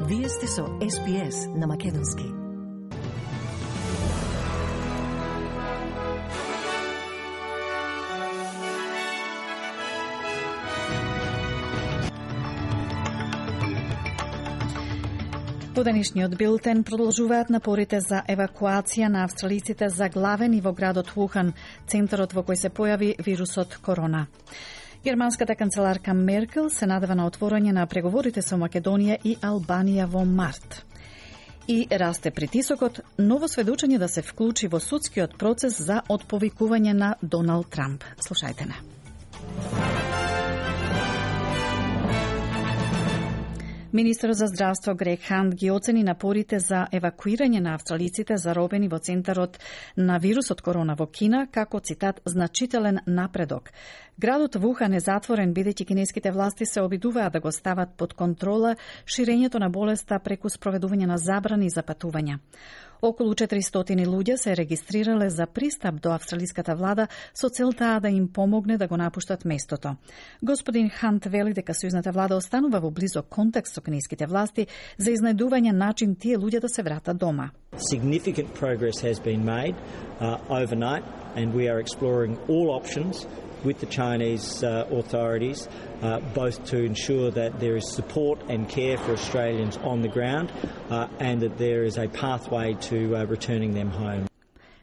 Вие сте со SBS на Македонски. По денешниот билтен продолжуваат напорите за евакуација на австралиците заглавени во градот Вухан, центарот во кој се појави вирусот корона. Германската канцеларка Меркел се надева на отворање на преговорите со Македонија и Албанија во март. И расте притисокот ново сведочење да се вклучи во судскиот процес за отповикување на Доналд Трамп. Слушајте не. Министерот за здравство Грег Хант ги оцени напорите за евакуирање на австралиците заробени во центарот на вирусот корона во Кина како, цитат, значителен напредок. Градот Вухан е затворен бидејќи кинеските власти се обидуваат да го стават под контрола ширењето на болеста преку спроведување на забрани за патувања. Околу 400 луѓе се регистрирале за пристап до австралиската влада со целта да им помогне да го напуштат местото. Господин Хант вели дека сојузната влада останува во близок контакт со кинеските власти за изнајдување начин тие луѓе да се вратат дома. Significant progress has been made overnight, and we are exploring all options with the Chinese authorities, both to ensure that there is support and care for Australians on the ground and that there is a pathway to returning them home.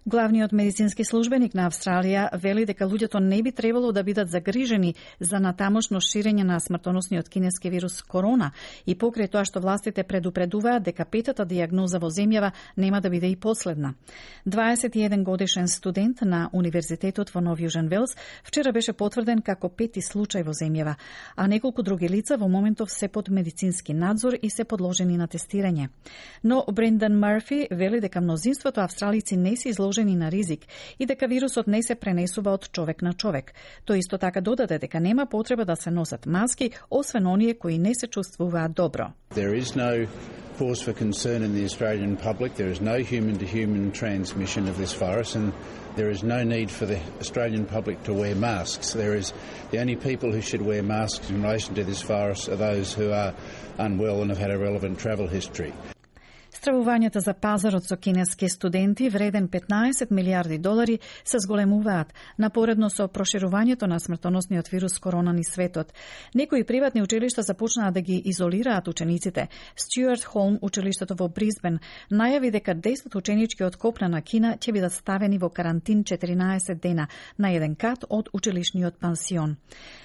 Главниот медицински службеник на Австралија вели дека луѓето не би требало да бидат загрижени за натамошно ширење на смртоносниот кинески вирус корона и покрај тоа што властите предупредуваат дека петата дијагноза во земјава нема да биде и последна. 21 годишен студент на Универзитетот во Нов Јужен Велс вчера беше потврден како пети случај во земјава, а неколку други лица во моментов се под медицински надзор и се подложени на тестирање. Но Брендан Мърфи вели дека мнозинството австралици не се изложени на ризик и дека вирусот не се пренесува од човек на човек. Тој исто така додаде дека нема потреба да се носат маски, освен оние кои не се чувствуваат добро. There is no cause for concern in the Australian public. There is no human-to-human transmission of this virus, and there is no need for the Australian public to wear masks. The only people who should wear masks in relation to this virus are those who are unwell and have had a relevant travel history. Стравувањата за пазарот со кинески студенти вреден $15 милиарди се зголемуваат напоредно со проширувањето на смртоносниот вирус корона низ светот. Некои приватни училишта започнаа да ги изолираат учениците. Стюарт Холм, училиштето во Брисбен, најави дека 10 ученички од копна на Кина ќе бидат ставени во карантин 14 дена на еден кат од училишниот пансион.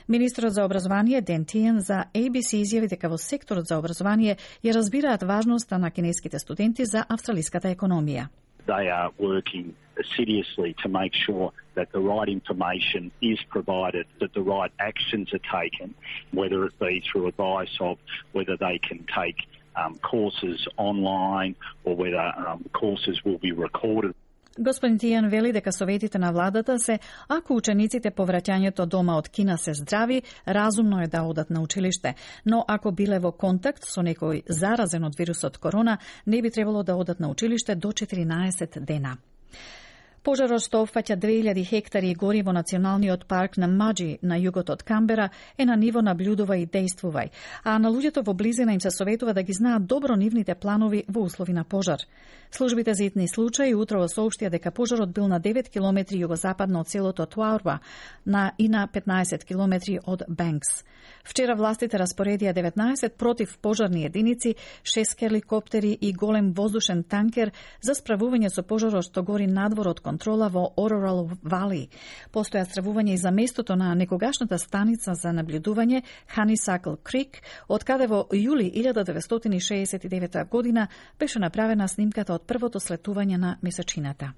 Министерот за образование Ден Тиен за ABC изјави дека во секторот за образование ја разбираат важноста на кинеските студенти за австралиската економија. They are working assiduously to make sure that the right information is provided, that the right actions are taken, whether it be through advice of whether they can take courses online or whether courses will be recorded. Господин Тијан вели дека советите на владата се, ако учениците по враќањето дома од Кина се здрави, разумно е да одат на училиште, но ако биле во контакт со некој заразен од вирусот корона, не би требало да одат на училиште до 14 дена. Пожарот што опфаќа 2000 хектари и гори во националниот парк на Маџи на југот од Камбера е на ниво наблюдувај и действувај, а на луѓето во близина им се советува да ги знаат добро нивните планови во услови на пожар. Службите за итни случаи утрово соопштија дека пожарот бил на 9 километри југозападно од селото Туарба и на 15 километри од Бенкс. Вчера властите распоредија 19 против пожарни единици, 6 хеликоптери и голем воздушен танкер за справување со пожарот што гори надвор од контрола во Орорал Вали. Постоја стравување и за местото на некогашната станица за наблюдување Honeysuckle Creek, од каде во јули 1969 година беше направена снимката од првото слетување на месечината.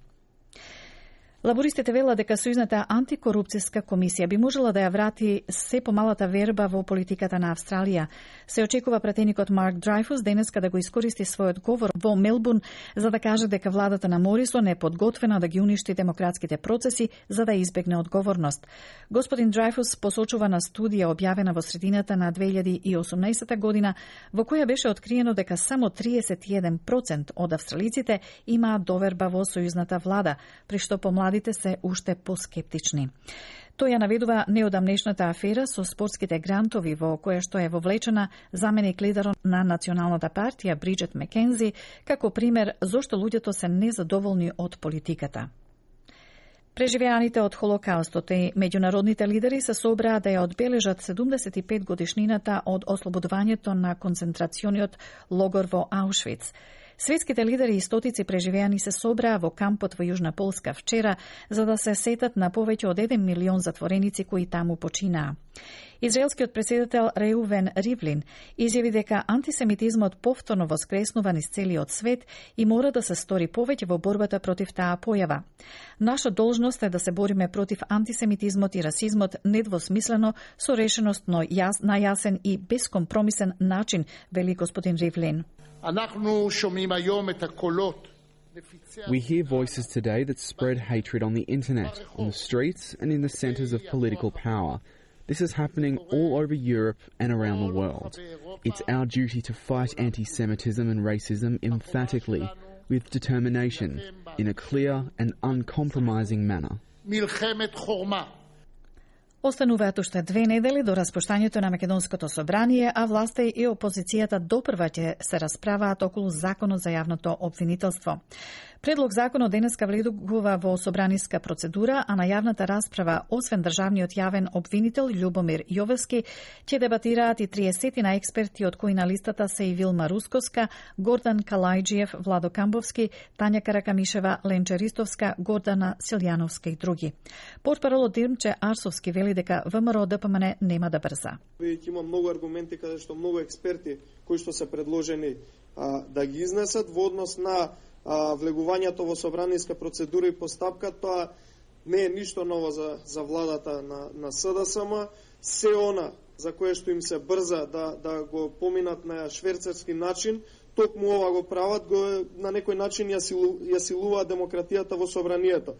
Лабористите велат дека Сојузната антикорупцијска комисија би можела да ја врати се помалата верба во политиката на Австралија. Се очекува пратеникот Марк Драйфус денеска да го искористи својот говор во Мелбурн за да каже дека владата на Морисон е подготвена да ги уништи демократските процеси за да избегне одговорност. Господин Драйфус посочува на студија објавена во средината на 2018 година во која беше откриено дека само 31% од австралиците имаат доверба во сојузната влада, при што помладите се уште поскептични. Тој ја наведува неодамнешната афера со спортските грантови во која што е вовлечена заменик лидерот на Националната партија Бриджет Мекензи како пример зошто луѓето се незадоволни од политиката. Преживеаните од Холокаустот и меѓународните лидери се собраа да ја одбележат 75 годишнината од ослободувањето на концентрациониот логор во Аушвиц. Светските лидери и стотици преживеани се собраа во кампот во Јужна Полска вчера за да се сетат на повеќе од 1 милион затвореници кои таму починаа. Израелскиот претседател Реувен Ривлин изјави дека антисемитизмот повторно воскреснува низ целиот свет и мора да се стори повеќе во борбата против таа појава. Наша должност е да се бориме против антисемитизмот и расизмот недвосмислено, со решеност, но на јасен и безкомпромисен начин, вели господин Ривлин. We hear voices today that spread hatred on the internet, on the streets and in the centres of political power. This is happening all over Europe and around the world. It's our duty to fight anti-Semitism and racism emphatically, with determination, in a clear and uncompromising manner. Остануваат уште 2 недели до распуштањето на Македонското собрание, а власта и опозицијата допрва ќе се расправаат околу законот за јавното обвинителство. Предлог законот денеска влегува во собраниска процедура, а на јавната расправа, освен државниот јавен обвинител Љубомир Јовевски, ќе дебатираат и 30 на експерти, од кои на листата се и Вилма Русковска, Гордан Калајджиев, Владо Камбовски, Тања Каракамишева, Ленче Ристовска, Гордана Силјановска и други. Портпаролот Димче Арсовски вели дека ВМРО ДПМН нема да брза. Веќе има многу аргументи каде што многу експерти кои што се предложени да ги изнесат во однос на влегувањето во собраниска процедура и постапка. Тоа не е ништо ново за владата на СДСМ. Се она за кое што им се брза да го поминат на шверцерски начин, токму ова го прават, на некој начин ја силуваат демократијата во собранието.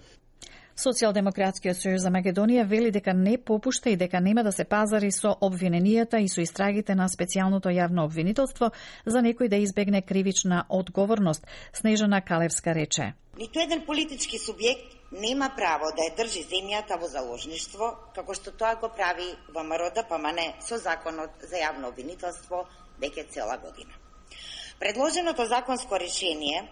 Социјалдемократскиот сојуз за Македонија вели дека не попушта и дека нема да се пазари со обвиненијата и со истрагите на специјалното јавно обвинителство за некој да избегне кривична одговорност. Снежана Калевска рече: Ниту еден политички субјект нема право да ја држи земјата во заложништво, како што тоа го прави ВМРО ДПМН со законот за јавно обвинителство веќе цела година. Предложеното законско решение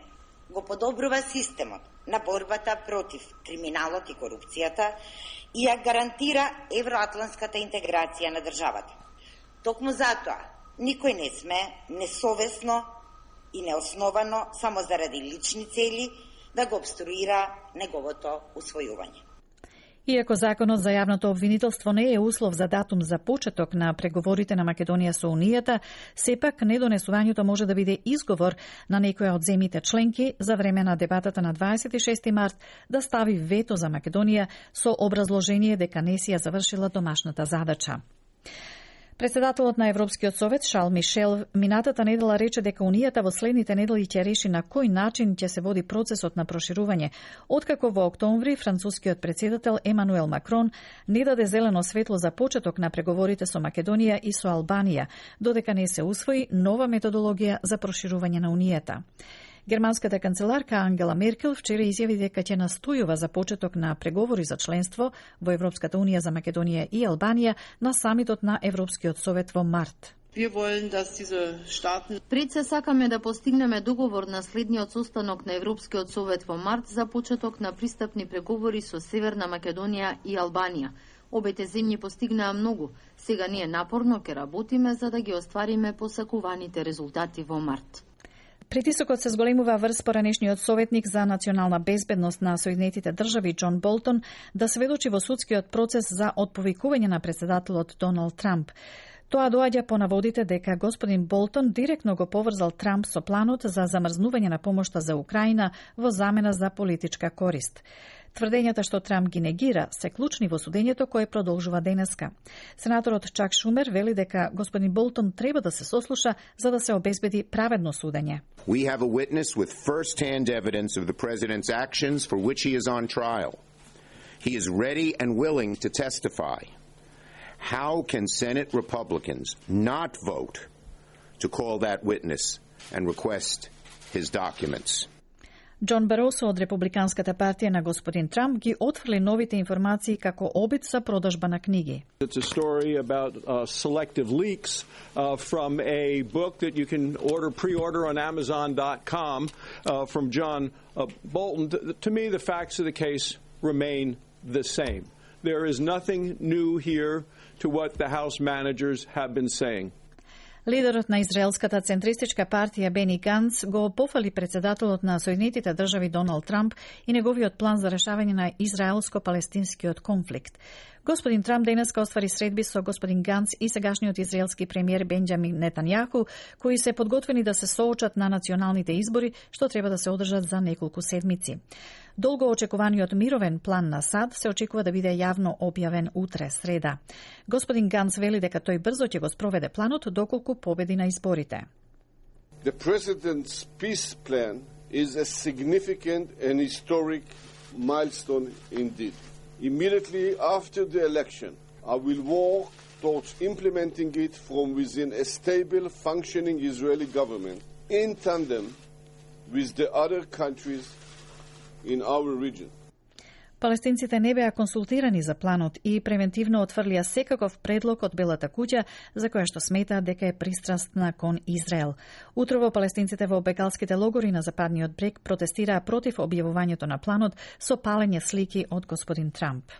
го подобрува системот на борбата против криминалот и корупцијата и ја гарантира евроатланската интеграција на државата. Токму затоа, никој не сме несовесно и неосновано само заради лични цели да го обструира неговото усвојување. Иако законот за јавното обвинителство не е услов за датум за почеток на преговорите на Македонија со Унијата, сепак недонесувањето може да биде изговор на некоја од земјите членки за време на дебатата на 26 март да стави вето за Македонија со образложение дека не си ја завршила домашната задача. Председателот на Европскиот совет Шарл Мишел минатата недела рече дека Унијата во следните недели ќе реши на кој начин ќе се води процесот на проширување, откако во октомври францускиот председател Емануел Макрон не даде зелено светло за почеток на преговорите со Македонија и со Албанија, додека не се усвои нова методологија за проширување на Унијата. Германската канцеларка Ангела Меркел вчера изјави дека ќе настојува за почеток на преговори за членство во Европската унија за Македонија и Албанија на самитот на Европскиот совет во март. Пред се сакаме да постигнеме договор на следниот состанок на Европскиот совет во март за почеток на пристапни преговори со Северна Македонија и Албанија. Обете земји постигнаа многу. Сега ние напорно ќе работиме за да ги оствариме посакуваните резултати во март. Притисокот се зголемува врз поранешниот советник за национална безбедност на Соединетите држави Џон Болтон да сведочи во судскиот процес за отповикување на председателот Доналд Трамп. Тоа доаѓа по наводите дека господин Болтон директно го поврзал Трамп со планот за замрзнување на помошта за Украина во замена за политичка корист. Тврдењата што Трамп ги негира се клучни во судењето кое продолжува денеска. Сенаторот Чак Шумер вели дека господин Болтон треба да се сослуша за да се обезбеди праведно судење. We have a witness with first-hand evidence of the president's actions for which he is on trial. He is ready and willing to testify. How can Senate Republicans not vote to call that witness and request his documents? Џон Баросо од Републиканската партија на господин Трамп ги отфрли новите информации како обид за продажба на книги. It's a story about selective leaks from a book that you can pre-order on Amazon.com from John Bolton. To me, the facts of the case remain the same. There is nothing new here to what the House managers have been saying. Лидерот на израелската центристичка партија Бени Ганц го пофали председателот на Соединетите држави Доналд Трамп и неговиот план за решавање на израелско-палестинскиот конфликт. Господин Трамп денеска оствари средби со господин Ганц и сегашниот израелски премиер Бенџамин Нетањаху, кои се подготвени да се соочат на националните избори, што треба да се одржат за неколку седмици. Долго очекуваниот мировен план на САД се очекува да биде јавно објавен утре, среда. Господин Ганц вели дека тој брзо ќе го спроведе планот доколку победи на изборите. The President's peace plan is a significant and historic milestone indeed. Immediately after the election, I will work towards implementing it from within a stable, functioning Israeli government in tandem with the other countries in our region. Палестинците не беа консултирани за планот и превентивно отфрлија секаков предлог од Белата куќа за која што сметаат дека е пристрастна кон Израел. Утрово палестинците во бекалските логори на Западниот брег протестираа против објавувањето на планот со палење слики од господин Трамп.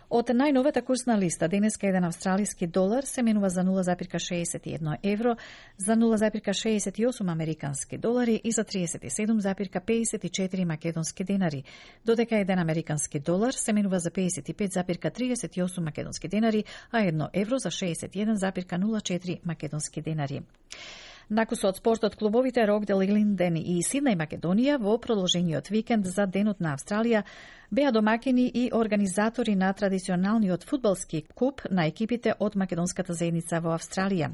Од најновата курсна листа, денеска еден австралиски долар се менува за 0,61 евро, за 0,68 американски долари и за 37,54 македонски денари, додека еден американски долар се менува за 55,38 македонски денари, а 1 евро за 61,04 македонски денари. Накусо од спортот, клубовите Рокдел, Илинден и Сиднеј Македонија во продолжениот викенд за Денот на Австралија беа домакини и организатори на традиционалниот фудбалски куп на екипите од македонската заедница во Австралија.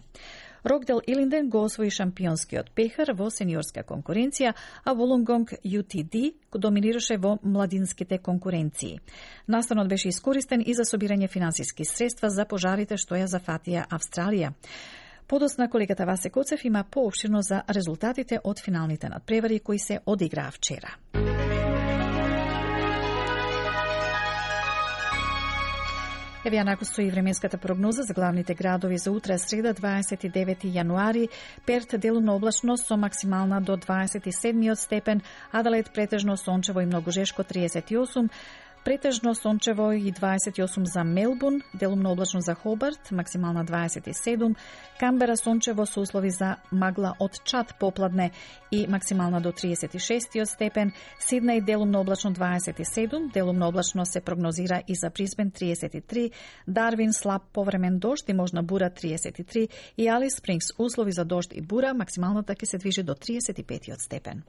Рокдел Илинден го освои шампионскиот пехар во сениорска конкуренција, а Волонгонг UTD доминираше во младинските конкуренции. Настанот беше искористен и за собирање финансиски средства за пожарите што ја зафатија Австралија. Подосна колегата Васе Коцев има поопширно за резултатите од финалните надпревари кои се одиграа вчера. Еве ја накусто и временската прогноза за главните градови за утре, среда 29 јануари. Перт делумно облачно со максимална до 27 степен, Аделаид претежно сончево и многу жешко 38, претежно сончево и 28 за Мелбурн, делумно облачно за Хобарт, максимална 27, Камбера сончево со услови за магла од чад попладне и максимална до 36 степен, Сиднеј делумно облачно 27, делумно облачно се прогнозира и за Брисбен 33, Дарвин слаб повремен дожд и можна бура 33 и Алис Спрингс услови за дожд и бура, максималната ќе се движи до 35 степен.